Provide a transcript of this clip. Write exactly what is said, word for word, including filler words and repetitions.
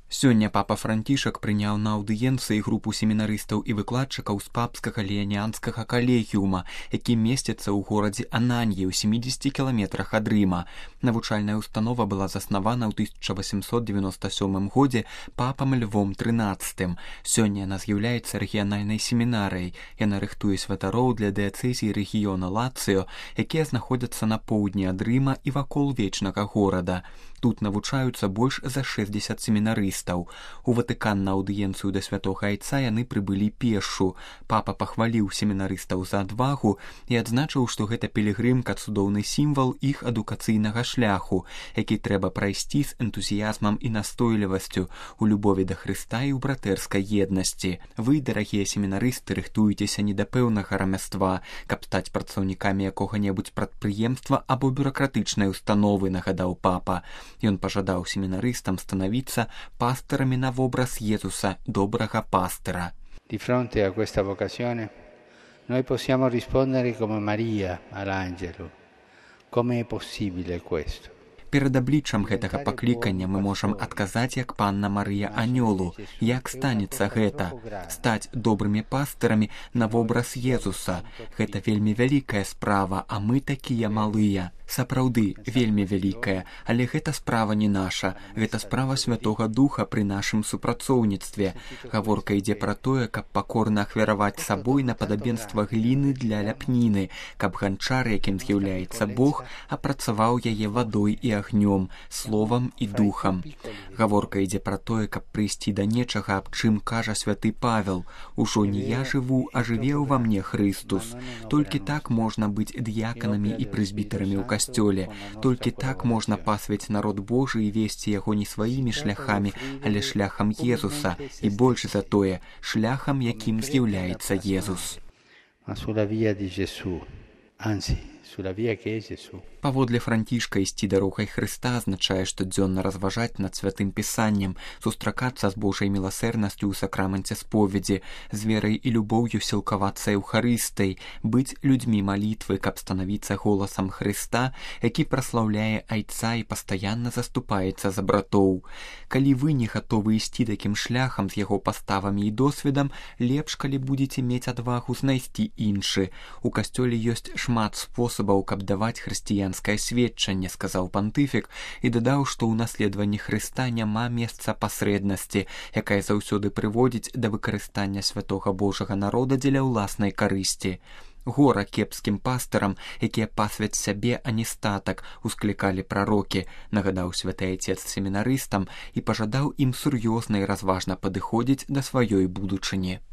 Сёння папа Францішак прыняў на аўдыенцыі групу семінарыстаў і выкладчыкаў з папскага леаніанскага калегіума, які месціцца ў горадзе Ананьі ў сямідзесяці кіламетрах ад Рыма. Навучальная установа была заснавана ў тысяча васемсот дзевяноста сёмым годзе папам Львом трынаццатым. Сёння яна з'яўляецца рэгіянальнай семінарыяй. Яна рыхтуе святароў для дыяцэзій рэгіёна Лацыё, якія знаходзяцца на поўдні ад Рыма і вакол вечнага горада. Тут навучаюцца больш за шэсцьдзесят семінарыстаў. У Ватыкан на аўдыенцыю да святога айца яны прыбылі пешшу. Папа пахваліў семінарыстаў за адвагу і адзначыў, што гэта пілігрымка цудоўны сімвал іх адукацыйнага шляху, які трэба прайсці з энтузіязмам і настойлівасцю, у любові да Хрыста і ў братэрскай еднасці. Вы, дарагія семінарысты, рыхтуецеся не да пэўнага рамяства, каб стаць працаўнікамі якога-небудзь прадпрыемства або бюракратычнай установы, нагадаў папа. Ён пажадаў семінарыстам станавіцца пастырамі на вобраз Jesуsa, добрага пастыра. Di fronte a questa vocazione, noi possiamo rispondere come Maria all'angelo. Come è possibile questo? Перад абліччам гэтага паклікання мы можам адказаць, як панна Марыя анёлу. Як станецца гэта? Стаць добрымі пастырамі на вобраз Jesуsa. Гэта вельмі вялікая справа, а мы такія малыя. Сапраўды, вельмі вялікая, але гэта справа не наша. Гэта справа Святога Духа пры нашым супрацоўніцтве. Гаворка ідзе пра тое, каб пакорна ахвяраваць сабой на падабенства гліны для ляпніны, каб ганчар, якім з'яўляецца Бог, апрацаваў яе вадой і агнём, словам і духам. Гаворка ідзе пра тое, каб прыйсці да нечага, аб чым кажа святы Павел: «Ужо не я жыву, а жыве ўва мне Хрыстус». Толькі так можна быць дыяканамі і прэзбітарамі ў касцёле. Толькі так можна пасвіць народ Божы і весці яго не сваімі шляхамі, але шляхам Jesуsa, і больш за тое, шляхам, якім з'яўляецца Jesус. Паводле Францішка ісці дарогай Хрыста азначае штодзённа разважаць над святым пісаннем, сустракацца з Божай міласэрнасцю ў сакраменце споведзі, з верай і любоўю сілкавацца эўхарыстай, быць людзьмі малітвы, каб станавіцца голасам Хрыста, які праслаўляе айца і пастаянна заступаецца за братоў. Калі вы не гатовы ісці такім шляхам з яго паставамі і досведам, лепш, калі будзеце мець адвагу знайсці іншы. У касцёле ёсць шмат спосабаў, каб даваць хрысціянскае сведчанне, сказаў пантыфік, і дадаў, што ў наследаванні Хрыста няма месца пасрэднасці, якая заўсёды прыводзіць да выкарыстання святога Божага народа дзеля ўласнай карысці. Гора кепскім пастырам, якія пасвяць сябе, а не статак, усклікалі прарокі, нагадаў святы айцец семінарыстам і пажадаў ім сур'ёзна і разважна падыходзіць да сваёй будучыні.